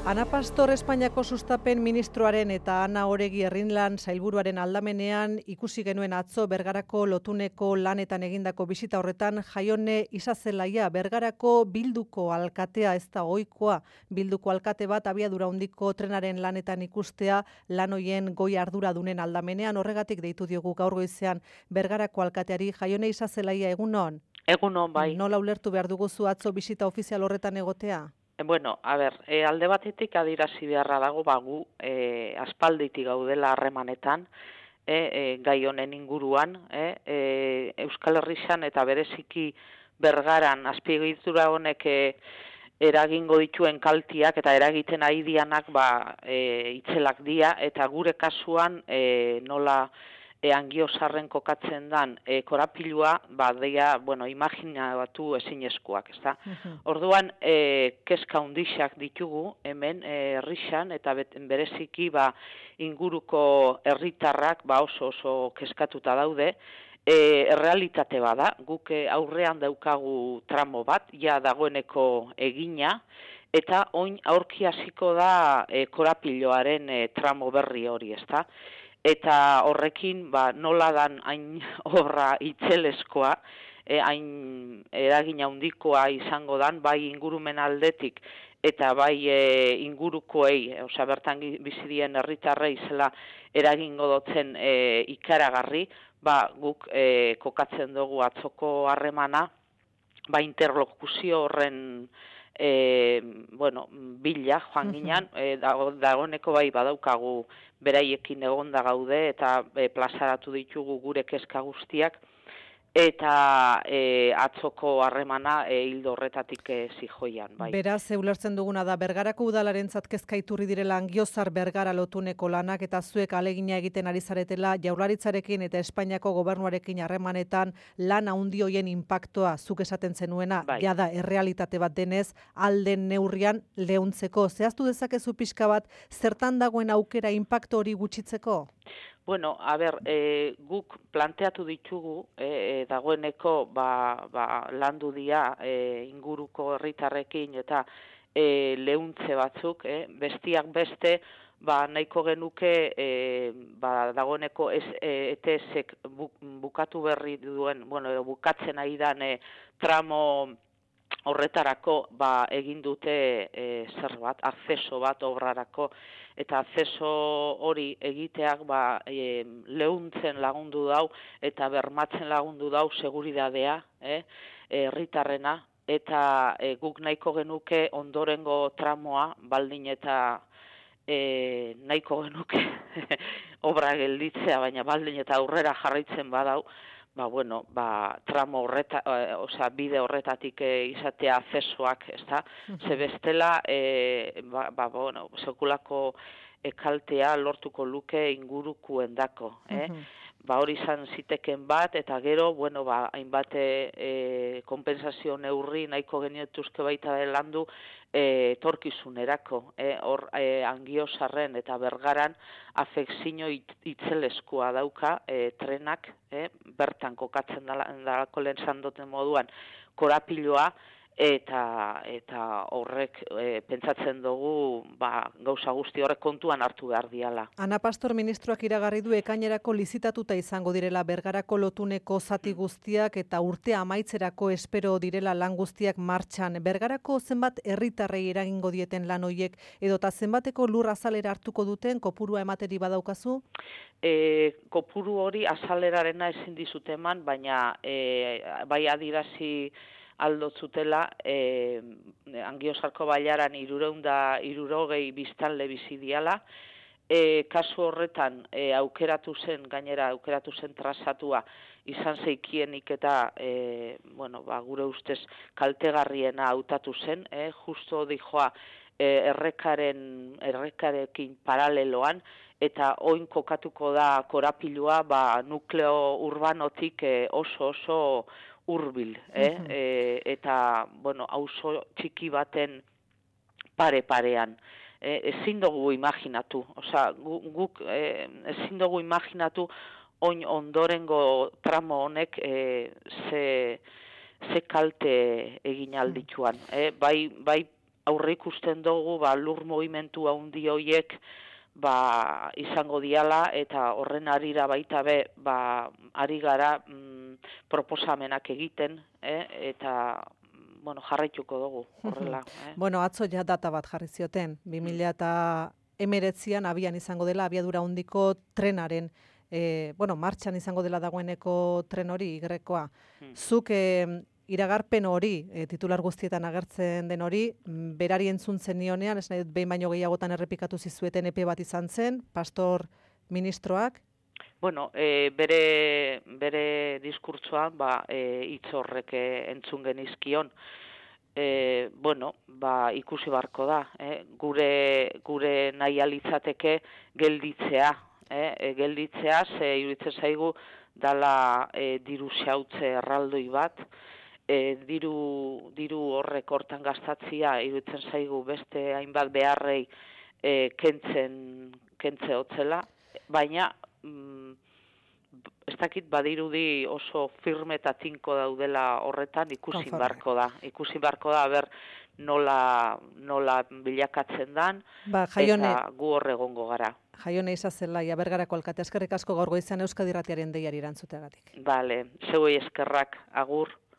Ana Pastor Espainiako sustapen ministroaren eta Ana Oregi Herrinlan sailburuaren aldamenean ikusi genuen atzo Bergarako lotuneko lanetan egindako bisita horretan Jaione Isazelaia Bergarako Bilduko alkatea ez da ohikoa. Bilduko alkate bat abiadura handiko trenaren lanetan ikustea lan hoien goi arduradunen aldamenean, horregatik deitu diogu gaur goizean Bergarako alkateari. Jaione Isazelaia, egunon? Egunon, bai. Nola ulertu behar duguzu atzo bisita ofizial horretan egotea? Bueno, alde batetik adierazi beharra dago, gu aspalditik gaudela harremanetan, gai honen inguruan, Euskal Herrian eta bereziki Bergaran azpiegitura honek eragingo dituen kaltiak eta eragiten ari dianak itzelak dira, eta gure kasuan nola Angiozarren kokatzen dan korapilua, deia, imaginatu ezinezkoak, ezta? Orduan, kezka hundixak ditugu hemen herrixan, eta bereziki inguruko herritarrak oso kezkatuta daude. Errealitate bada, guk aurrean daukagu tramo bat, ja dagoeneko egina, eta oin aurki hasiko da korapiloaren tramo berri hori, ezta? Eta horrekin nola dan hain horra itzelezkoa, hain eragina handikoa izango dan, bai ingurumen aldetik eta bai ingurukoei, bertan bizidien herritarrei zela eragingo dotzen ikaragarri, guk kokatzen dugu atzoko harremana, interlokuzio horren bila joan ginen, dagoeneko badaukagu beraiekin egonda gaude eta plazaratu ditugu gure kezka guztiak, eta atzoko harremana hildo horretatik zijoian. Beraz, ulertzen duguna da, Bergarako udalarentzat kezka iturri direla Angiozar Bergara lotuneko lanak, eta zuek alegina egiten ari zaretela Jaurlaritzarekin eta Espainiako gobernuarekin harremanetan lan handi hoien inpaktoa zuk esaten zenuena, jada errealitate bat denez, alden neurrian leuntzeko. Zehaztu dezakezu pixka bat, zertan dagoen aukera inpakto hori gutxitzeko? Bueno, guk planteatu ditugu, dagoeneko landu dia inguruko herritarrekin eta leuntze batzuk, bestiak beste, nahiko genuke dagoeneko ETS-ek bukatu berri duen, bukatzen ari dan tramo horretarako egin dute zerbait, akzeso bat obrarako, eta akzeso hori egiteak leuntzen lagundu dau eta bermatzen lagundu dau seguridadea herritarrena, eta guk nahiko genuke ondorengo tramoa, baldin eta nahiko genuke obra gelditzea, baina baldin eta aurrera jarraitzen badau, tramo bide horretatik izatea akzesoak, ezta? Ze bestela, sekulako kaltea lortuko luke ingurukoendako, hori izan ziteken bat, eta gero, hainbat konpensazio neurri nahiko genietuzke baita landu etorkizunerako. Hor Angiozarren eta Bergaran afekzio itzelezkoa dauka trenak, bertan kokatzen dalako lehen zandoten moduan korapiloa, eta horrek pentsatzen dugu gauza guzti horrek kontuan hartu behar diala. Ana Pastor ministroak iragarri du ekainerako lizitatuta izango direla Bergarako lotuneko zati guztiak eta urtea amaitzerako espero direla lan guztiak martxan. Bergarako zenbat herritarrei eragingo dieten lan hoiek edota zenbateko lur azalera hartuko duten kopurua emateri badaukazu? Kopuru hori azalerarena ezin dizute eman, baina adirazi aldotzutela Angiozarko bailaran 360 biztanle bizi diala. Kasu horretan aukeratu zen trazatua izan zeikienik eta gure ustez kaltegarriena hautatu zen, justo dijoa errekarekin paraleloan, eta oin kokatuko da korapilua nukleo urbanotik oso hurbil, eta, auzo txiki baten pare-parean. Ezin dugu imaginatu, guk ezin dugu imaginatu oin ondorengo tramo honek ze kalte egin aldituan. Bai aurre ikusten dugu lur movimentu handi hoiek izango diala, eta horren arira baita be ari gara proposamenak egiten, eta jarraituko dugu horrela. Bueno, atzo ja data bat jarri zioten, 2019an abian izango dela abiadura handiko trenaren, martxan izango dela dagoeneko tren hori, igrekoa. Zuk iragarpen hori, titular guztietan agertzen den hori, berari entzun zenionean, ez nahi dut behin baino gehiagotan errepikatu zizueten epe bat izan zen, pastor ministroak? Bueno, bere diskurtsoan hitz horrek entzun genizkion. Ikusi barko da, gure nahi alitzateke gelditzea, gelditzea, ze iruditzen zaigu dala diru xautze erraldoi bat, diru horrek hortan gastatzia iruditzen zaigu beste hainbat beharrei kentze hotzela, baina ez dakit badirudi oso firme eta tinko daudela horretan, ikusi barko da, ber nola bilakatzen dan, eta gu hor egongo gara. Jaione Isazelaia, Bergarako alkate, eskerrik asko gaur goizean Euskadi Irratiaren deiari erantzuteagatik. Bale, zeuei eskerrak, agur.